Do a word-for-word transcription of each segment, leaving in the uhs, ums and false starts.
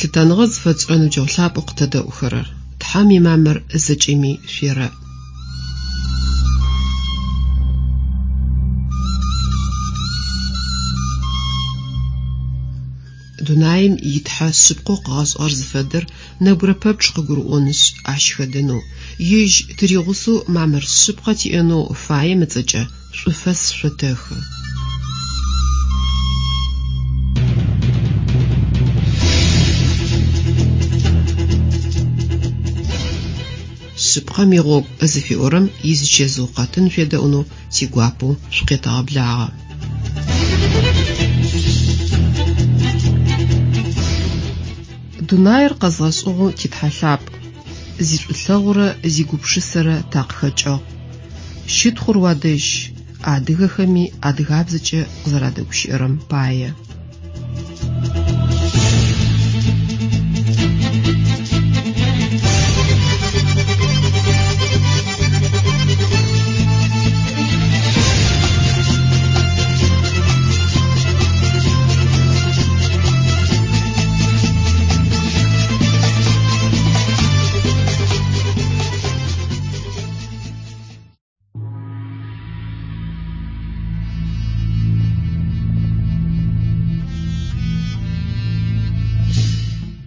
Лъытэныгъэ зыфэтшӏырэ ныбджэгъу лъапӏэу къытэдэӏухэрэр, Тхьэм имамыр зэкӏэми шъуерэӏ. Дунаим итхьэ шъыпкъэу къыгъэшӏыгъэр зыфэдэр нэбгырэ пэпчъ къыгурыӏонышъ, ащ хэдэнэу, ежь тыригъусэу мамыр шъыпкъэ тиӏэнэу фаем ыцӏэкӏэ шӏуфэс шъотэхы. Шъыпкъэм игъогу зыфиӏорэм изычэзыу къэтын шъуедэӏунэу тигуапэу шъукъетэгъэблагъэ. Дунаир къэзгъэшӏыгъэу титхьэ лъапӏ, зишӏулъэгъурэ зигупшысэрэ такъыхэкӏыгъ. Щытхъур уадэжь, адыгэхэми адыгабзэкӏэ къызэрадэгущыӏэрэм пае.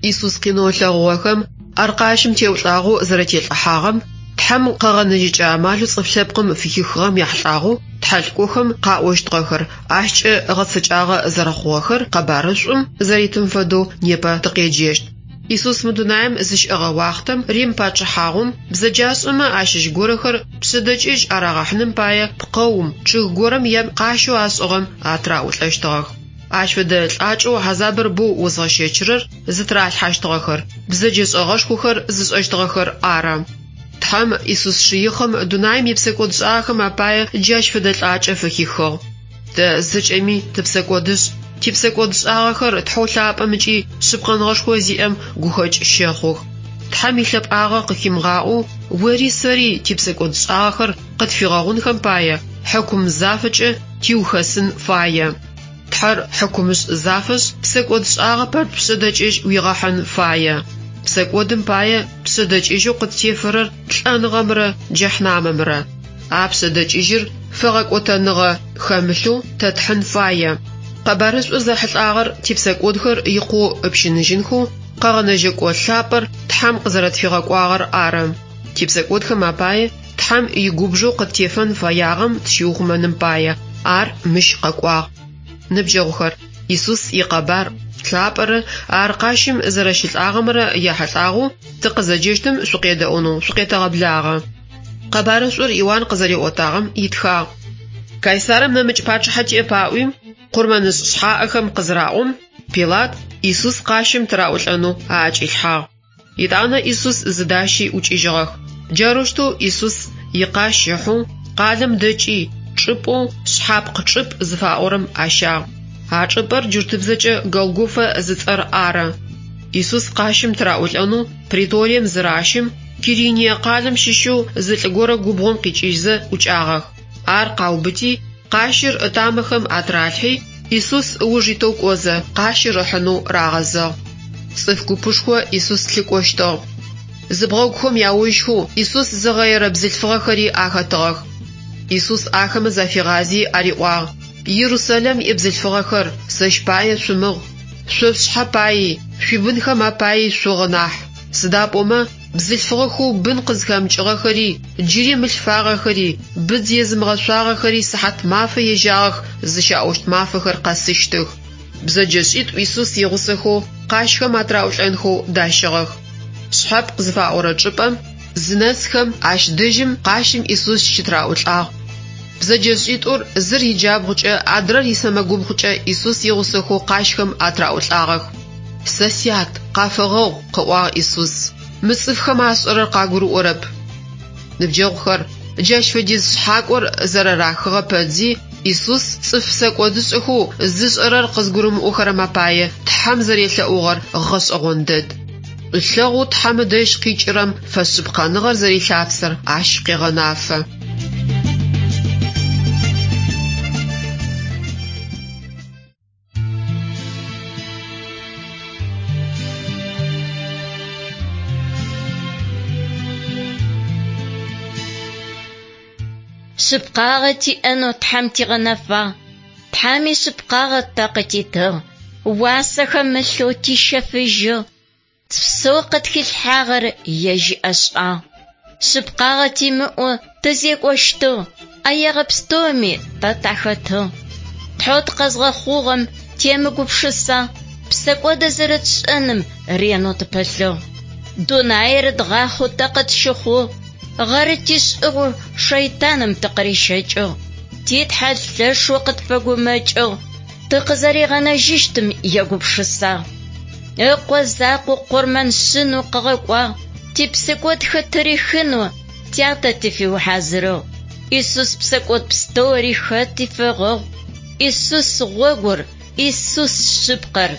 Иисус къинэу ылъэгъугъэхэм ар къащым теӏулӏагъэу зэрэтелӏыхьагъэм, Тхьэм къэгъэнэжьыкӏэ амалэу цӏыф лъэпкъым фыхихыгъэм ехьылӏагъэу тхьэлӏыкӏохэм къаӏощтыгъэхэр ащкӏэ гъэцэкӏагъэ зэрэхъугъэхэр къэбарышӏум зэритым фэдэу непэ тыкъеджэщт. Иисус мы дунаим зыщыӏэгъэ уахътэм Рим пачъыхьагъум бзэджашӏэмэ ащыщ горэхэр пшъэдэкӏыжь арагъэхьыным пае пкъэум, чъыг горэм е къащэу ашӏыгъэм атыраӏулӏэщтыгъэх. Ащ фэдэ лӏакӏэу хьазабыр боу озгъэщэчырэр зытыралъхьащтыгъэхэр, бзэджэшӏэгъэшхохэр зышӏэщтыгъэхэр ары. Тхьэм Иисус Шыихъым дунаим ипсэкӏодшӏагъэхэм апае джащ фэдэ лӏакӏэ фыхихыгъ. Тэ зэкӏэми тыпсэкӏодышӏ, типсэкӏодшӏагъэхэр Тхьэу лъапӏэм ыкӏи шъыпкъэныгъэшхо зиӏэм гухэкӏ щэхъух. Тхьэм илъэпӏагъэ къыхимыгъаӏоу ори сэри типсэкӏодшӏагъэхэр къытфигъэгъунхэм пае хьыкум зафэкӏэ тиухэсын фае. Тхьэр хьыкумышӏ зафэшъ, псэкӏодшӏагъэ пэпчъ пшъэдэкӏыжь уигъэхьын фае. Псэкӏодым пае пшъэдэкӏыжьэу къыттефэрэр лӏэныгъэмрэ джэхьнамэмрэ. А пшъэдэкӏыжьыр фэгъэкӏотэныгъэ хэмылъэу тэ тхьын фае. Къэбарышӏур зэхьылӏагъэр типсэкӏодхэр икъоу ыпщыныжьынхэу къэгъэнэжьэкӏо лъапӏэр Тхьэм къызэрэтфигъэкӏуагъэр ары. Типсэкӏодхэм апае Тхьэм игубжэу къыттефэн фэягъэм тщиухъумэным пае ар мыщ къэкӏуагъ. Ныбджэгъухэр, Иисус икъэбар лъапӏэрэ ар къащым зэрэщылӏагъэмрэ ехьылӏагъэу тыкъызэджэщтым шъукъедэӏунэу шъукъетэгъэблагъэ. Къэбарышӏур Иуан къызэриӏотагъэм итхагъ. Кайсарым нэмыкӏ пачъыхьэ тиӏэп аӏуи, къурмэнышӏ шъхьаӏэхэм къызыраӏом, Пилат Иисус къащым тыраӏулӏэнэу аӏэкӏилъхьагъ. Етӏанэ Иисус зыдащи ӏукӏыжьыгъэх. Джарэущтэу Иисус икъащ ыхьэу къалэм дэкӏи, чӏыпӏэу шъхьапкъ чӏыпӏ зыфаӏорэм ащагъ. А чӏыпӏэр джуртыбзэкӏэ Голгофэ зыцӏэр ары. Иисус къащым тыраӏулӏэнэу Преторием зыращым, Кириние къалэм щыщэу зы лӏы горэ губгъом къикӏыжьзэ ӏукӏагъэх. Ар къаубыти, къащыр ытамэхэм атыралъхьи, Иисус ыуж итэу кӏозэ къащыр ыхьынэу рагъэзыгъ. Цӏыф купышхо Иисус лъыкӏощтыгъ. Зыбгъэгухэм яожьхэу Иисус зыгъэерэ бзылъфыгъэхэри ахэтыгъэх. Иисус ахэмэ зафигъази ариӏуагъ: Иерусалим ибзылъфыгъэхэр, сэщ пае шъумыгъ, шъо шъушъхьэ паи, шъуибынхэм апаи шъугъы нахь. Сыда пӏомэ бзылъфыгъэхэу бын къызхэмыкӏыгъэхэри, джыри мылъфагъэхэри, быдз езымыгъэшъуагъэхэри сыхьат мафэ ежьагъэх зыщаӏощт мафэхэр къэсыщтых. Бзэджэшӏитӏу Иисус игъусэхэу къащхэм атыраӏулӏэнхэу дащыгъэх. Шъхьэпкъ зыфаӏорэ чӏыпӏэм зынэсхэм ащ дэжьым къащым Иисус щытыраӏулӏагъ. Бзэджэшӏитӏур зыр иджабгъукӏэ, адрэр исэмэгубгъукӏэ Иисус игъусэхэу къащхэм атыраӏулӏагъэх. Сэ сят, къафэгъэгъу, къыӏуагъ Иисус. Мы цӏыфхэм ашӏэрэр къагурыӏорэп. Ныбджэгъухэр, джащ фэдиз шъхьакӏор зэрэрахыгъэ пэдзи, Иисус цӏыф псэкӏодышӏэхэу зышӏэрэр къызгурымыӏохэрэм апае Тхьэм зэрелъэӏугъэр гъэшӏэгъон дэд. Шӏулъэгъоу Тхьэм ыдэжь къикӏырэм фэшъыпкъэныгъэр зэрилъапсэр ащ къегъэнафэ. Шъыпкъагъэ тиӏэнэу Тхьэм тигъэнэфагъ. Тхьэм ишъыпкъагъэ тэ къытитыгъ. Уасэ хэмылъэу тищэфыжьыгъ. Псэу къытхилъхьагъэр ежь иӏэшӏагъ. Шъыпкъагъэ тимыӏэу тызекӏощтыгъ, ӏэегъэ пстэуми тэ тахэтыгъ. Тхьэу тыкъэзгъэхъугъэм темыгупшысагъ, псэкӏодэ зэрэтшӏэным ренэу тыпылъыгъ. Дунаир дгъахъэу тэ къытщыхъугъ, гъэры тишӏыгъэу шэйтаным тыкъырищэкӏыгъ. Ти Тхьэ лъэшэу къытфэгумэкӏыгъ, тыкъызэригъэнэжьыщтым егупшысагъ. Ыкъо закъоу къурмэн шъынэу къыгъэкӏуагъ, типсэкӏодхэр тырихынэу тятэ тыфиухьазырыгъ. Исус псэкӏод пстэури хэти фегъэгъу. Исус гъогур, Исус шъыпкъэр.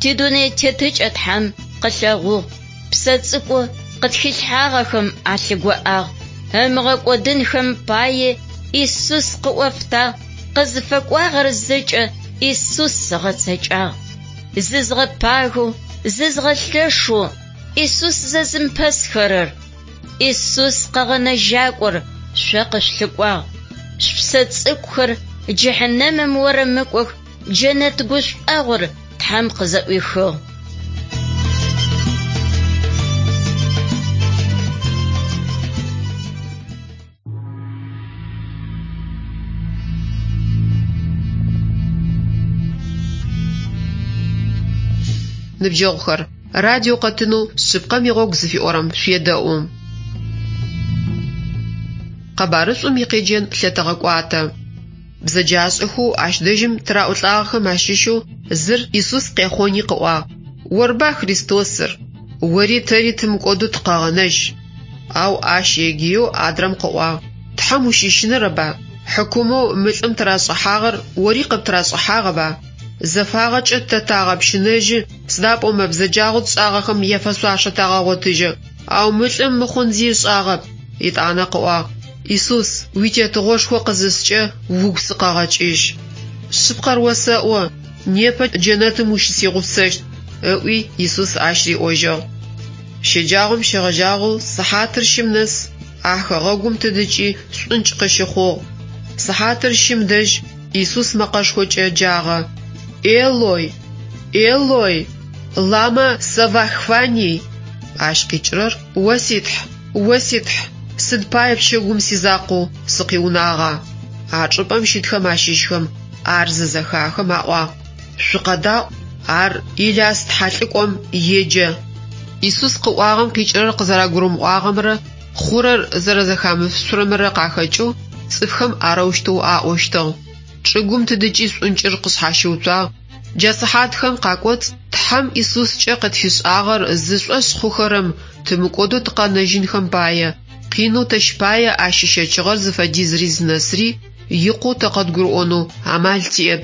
Тидунэе тетыкӏэ Тхьэм къылъэгъугъ. Псэ цӏыкӏу къытхилъхьагъэхэм алъыгоӏагъ. Ымыгъэкӏодынхэм пае Исус къыӏофтагъ, къызыфэкӏуагъэр зэкӏэ Исус ыгъэцэкӏагъ. Зызгъэпагэу, зызгъэлъэшэу Исус зэзымпэсхэрэр. Исус къэгъэнэжьакӏор шъо къышъулъыкӏуагъ. Шъупсэ цӏыкӏухэр джыхьнэмым орэмыкӏох, джэнэт гушӏуагъор Тхьэм къызэӏуихыгъ. Ныбджэгъухэр, радио къэтынэу шъыпкъэм игъогу зыфиӏорэм шъуедэӏу. Къэбарышӏум икъеджэн лъэтэгъэкӏуатэ. Бзэджашӏэхэу ащ дэжьым тыраӏулӏагъэхэм ащыщэу зыр Исус къехъони къыӏуагъ: «Орба Христосыр, ори тэри тымыкӏодэу тыкъэгъэнэжь». Ау ащ егыеу адрэм къыӏуагъ: «Тхьэм ущыщынэрэба? Хьыкумэу мы лӏым тырашӏыхьагъэр ори къыптырашӏыхьагъэба? Зэфагъэкӏэ тэ тагъэпщынэжьы, сыда пӏомэ бзэджагъэу тшӏагъэхэм яфэшъуашэ тагъэгъотыжьы. Ау мы лӏым мыхъун зи ышӏагъэп». Етӏанэ къыӏуагъ: «Исус, уитетыгъошхо къызыскӏэ угу сыкъэгъэкӏыжь. Шъыпкъэр осэӏо, непэ джэнэтым ущысигъусэщт», ыӏуи Исус ащ риӏожьыгъ. Щэджагъом щегъэжьагъэу сыхьатыр щым нэс а хэгъэгум тыдыкӏи шӏункӏ къыщыхъугъ. Сыхьатыр щым дэжь Исус мэкъэшхокӏэ джагъэ: «Элой, Элой, лама савахфани?» Ащ къикӏырэр: «О си Тхь, о си Тхь, сыд пае пчэгум сизакъоу сыкъиунагъа?» А чӏыпӏэм щытхэм ащыщхэм ар зызэхахым аӏуагъ: «Шъукъэдаӏу, ар Иляс тхьэлӏыкӏом еджэ». Исус къыӏуагъэм къикӏырэр къызэрагурымыӏуагъэмрэ хъурэр зэрэзэхамышъурэмрэ къахэкӏэу цӏыфхэм арэущтэу аӏощтыгъ. Чӏыгум тыдыкӏи шӏункӏыр къышъхьащыуцуагъ. Джа сыхьатхэм къакӏоцӏ Тхьэм Исускӏэ къытфишӏагъэр зышӏошъ хъухэрэм тымыкӏодэу тыкъэнэжьынхэм пае, къинэу тэщ пае ащ ыщэчыгъэр зыфэдизри зынэсри икъоу тэ къэдгурыӏонэу амал тиӏэп.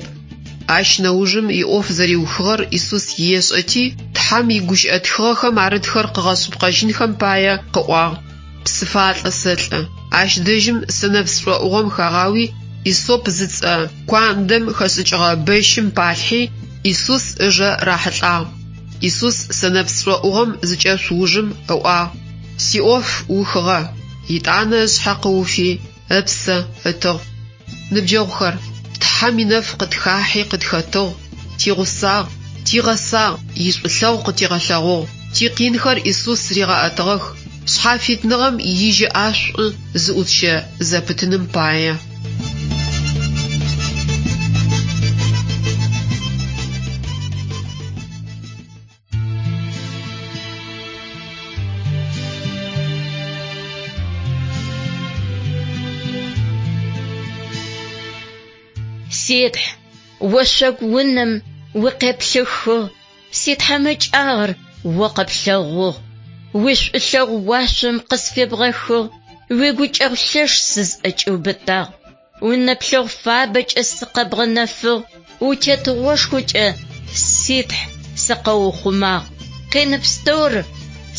Ащ нэужым иӏоф зэриухыгъэр Исус ешӏэти, Тхьэм игущыӏэ тхыгъэхэм арытхэр къыгъэшъыпкъэжьынхэм пае къыӏуагъ: «Псыфалӏэ сэлӏэ». Ащ дэжьым сэнэпс шӏоӏугъэм хагъауи, Исоп зыцӏэ куандэм хэшӏыкӏыгъэ бэщым палъхьи, Исус ыжэ рахьылӏагъ. Исус сэнэпс шӏоӏугъэм зыкӏешъу ужым ыӏуагъ: «Сиӏоф ухыгъэ». Етӏанэ ышъхьэ къыуфи, ыпсэ ытыгъ. Ныбджэгъухэр, Тхьэм инэф къытхахьи къытхэтыгъ, тигъусагъ, тигъэсагъ, ишӏулъэгъу къытигъэлъэгъугъ. Тикъинхэр Исус ригъэӏэтыгъэх, шъхьафитныгъэм ижьы ӏашӏу зыӏутщэ зэпытыным пае. Си Тхь, ошъогу унэм укъеплъыхыгъ, ситхьамыкӏагъэр о къэплъэгъугъ. Уишӏулъэгъу уашъом къысфебгъэхыгъ, уигукӏэгъу лъэш сызӏэкӏиубытагъ. Унэплъэгъу фабэкӏэ сыкъэбгъэнэфыгъ, утетыгъошхокӏэ си Тхь сыкъэухъумагъ. Къин пстэур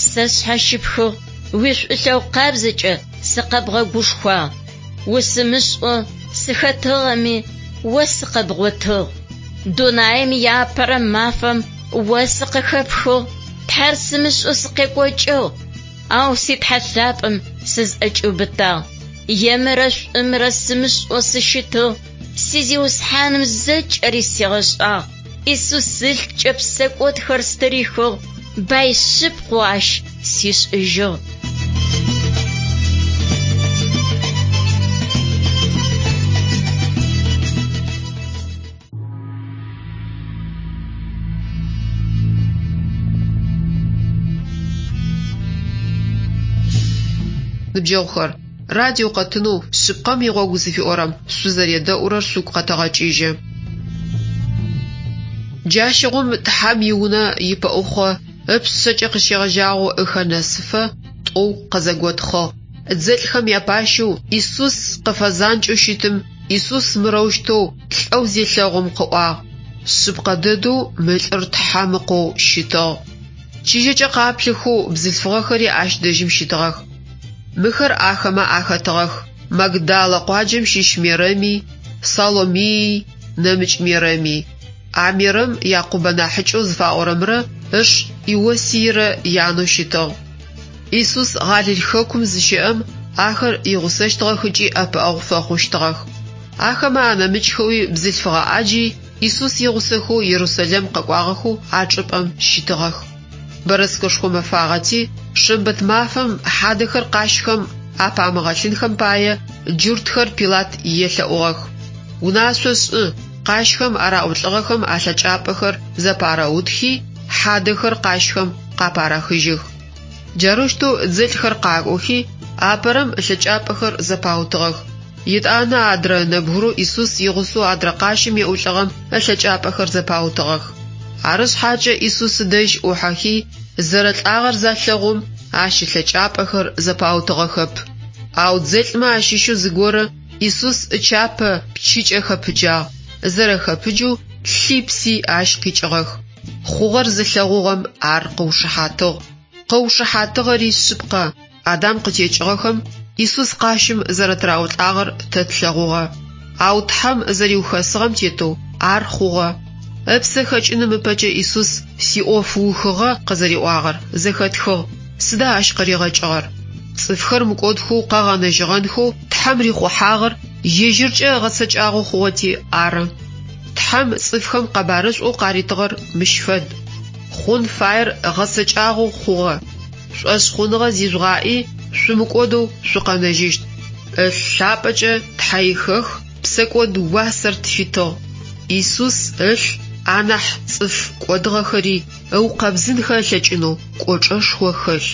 сэ сшъхьащыпхыгъ, уишӏулъэгъу къабзэкӏэ сыкъэбгъэгушхуагъ. Усымышӏэу сыхэтыгъэми, о сыкъэбгъотыгъ. Дунаим иапэрэ мафэм о сыкъыхэпхыгъ, Тхьэр сымышӏэу сыкъекӏокӏыгъ, ау си Тхьэ лъапӏэм сызӏэкӏиубытагъ. Емырэ шӏумрэ сымышӏэу сыщытыгъ. Си Зиусхьаным зэкӏэри сигъэшӏагъ. Исус ылъкӏэ псэкӏодхэр стырихыгъ, бай шъыпкъэу ащ сишӏыжьыгъ. Ныбджэгъухэр, радио къэтынэу «Шъыпкъэм игъогу» зыфиӏорэм шъузэредэӏурэр шъугу къэтэгъэкӏыжьы. Джащыгъум Тхьэм иунэ ипэӏухъо ыпшъэкӏэ къыщегъэжьагъэу ыхэ нэсыфэ тӏоу къызэготхъыгъ. Дзэлӏхэм япащэу Исус къыфэзанкӏэу щытым Исус мырэущтэу лӏэу зелъэгъум къыӏуагъ: «Шъыпкъэ дэдэу мы лӏыр Тхьэм Ыкъоу щытыгъ». Чыжьэкӏэ къаплъэхэу бзылъфыгъэхэри ащ дэжьым щытыгъэх. Мыхэр ахэмэ ахэтыгъэх: Магдалэ къуаджэм щыщ Мерэми, Саломии, нэмыкӏ Мерэми. А Мерэм Якъубэ нахьыкӏэу зыфаӏорэмрэ ыш Иосийрэ янэу щытыгъ. Исус Галил хэкум зыщэӏэм ахэр игъусэщтыгъэх ыкӏи ӏэпыӏэгъу фэхъущтыгъэх. Ахэмэ анэмыкӏхэуи бзылъфыгъэ ӏаджи Исус игъусэхэу Ерусалим къэкӏуагъэхэу а чӏыпӏэм щытыгъэх. Бэрэскэшхо мэфагъэти, шэмбэт мафэм хьадэхэр къащхэм апамыгъэлъынхэм пае джуртхэр Пилат елъэӏугъэх. Унашъо шӏы, къащхэм араӏулӏыгъэхэм алъэкӏапӏэхэр зэпарэутхи, хьадэхэр къащхэм къапарахыжьых. Джарэущтэу дзэлӏхэр къакӏохи, апэрэм ылъэкӏапӏэхэр зэпаутыгъэх. Етӏанэ адрэ нэбгырэу Исус игъусэу адрэ къащым еӏулӏыгъэм ылъэкӏапӏэхэр зэпаутыгъэх. Ары шъхьакӏэ Исус ыдэжь ӏухьэхи, зэрэлӏагъэр залъэгъум, ащ ылъэкӏапӏэхэр зэпаутыгъэхэп. Ау дзэлӏмэ ащыщэу зыгорэ Исус ычапэ пчыкӏэ хэпыджагъ, зэрэхэпыджэу лъи пси ащ къикӏыгъэх. Хъугъэр зылъэгъугъэм ар къыушыхьатыгъ. Къыушыхьатыгъэри шъыпкъэ: Адам къытекӏыгъэхэм Исус къащым зэрэтыраӏулӏагъэр тэ тлъэгъугъэ. Ау Тхьэм зэриухэсыгъэм тетэу ар хъугъэ. Ыпсэ хэкӏыным ыпэкӏэ Исус «Сиӏоф ухыгъэ» къызэриӏуагъэр зэхэтхыгъ. Сыда ащ къыригъэкӏыгъэр? Цӏыфхэр мыкӏодхэу къэгъэнэжьыгъэнхэу Тхьэм рихъухьагъэр ежьыркӏэ ыгъэцэкӏагъэу хъугъэти ары. Тхьэм цӏыфхэм къэбарышӏоу къаритыгъэр мыщ фэд: хъун фаер гъэцэкӏагъэу хъугъэ. Шӏошъхъуныгъэ зижъугъаӏи, шъумыкӏодэу шъукъэнэжьыщт. Ылъ лъапӏэкӏэ тхьэихэх псэкӏод уасэр тфитыгъ. Исус ылъ анахь цӏыф кӏодыгъэхэри ыукъэбзынхэ ылъэкӏынэу кӏочӏэшхо хэлъ.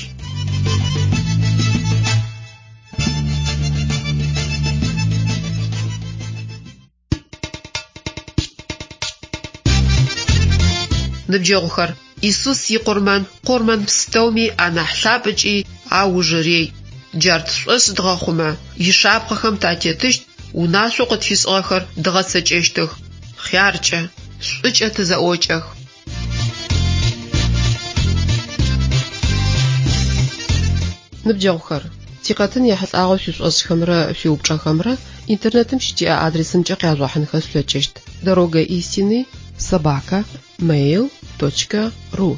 Ныбджэгъухэр, Исус икъурмэн къурмэн пстэуми анахь лъапӏ ыкӏи аужырей. Джар тшӏошъ дгъэхъумэ, ишапхъэхэм татетыщт, унашъоу къытфишӏыгъэхэр дгъэцэкӏэщтых. Хъяркӏэ, шӏукӏэ тызэӏокӏэх. Ныбджэгъухэр, тикъэтын ехьылӏагъэу шъуишӏошӏхэмрэ шъуиупчӏэхэмрэ интернетым щытиӏэ адресымкӏэ къяжъугъэхьынхэ шъулъэкӏыщт: дорога истины собака mail точка ру.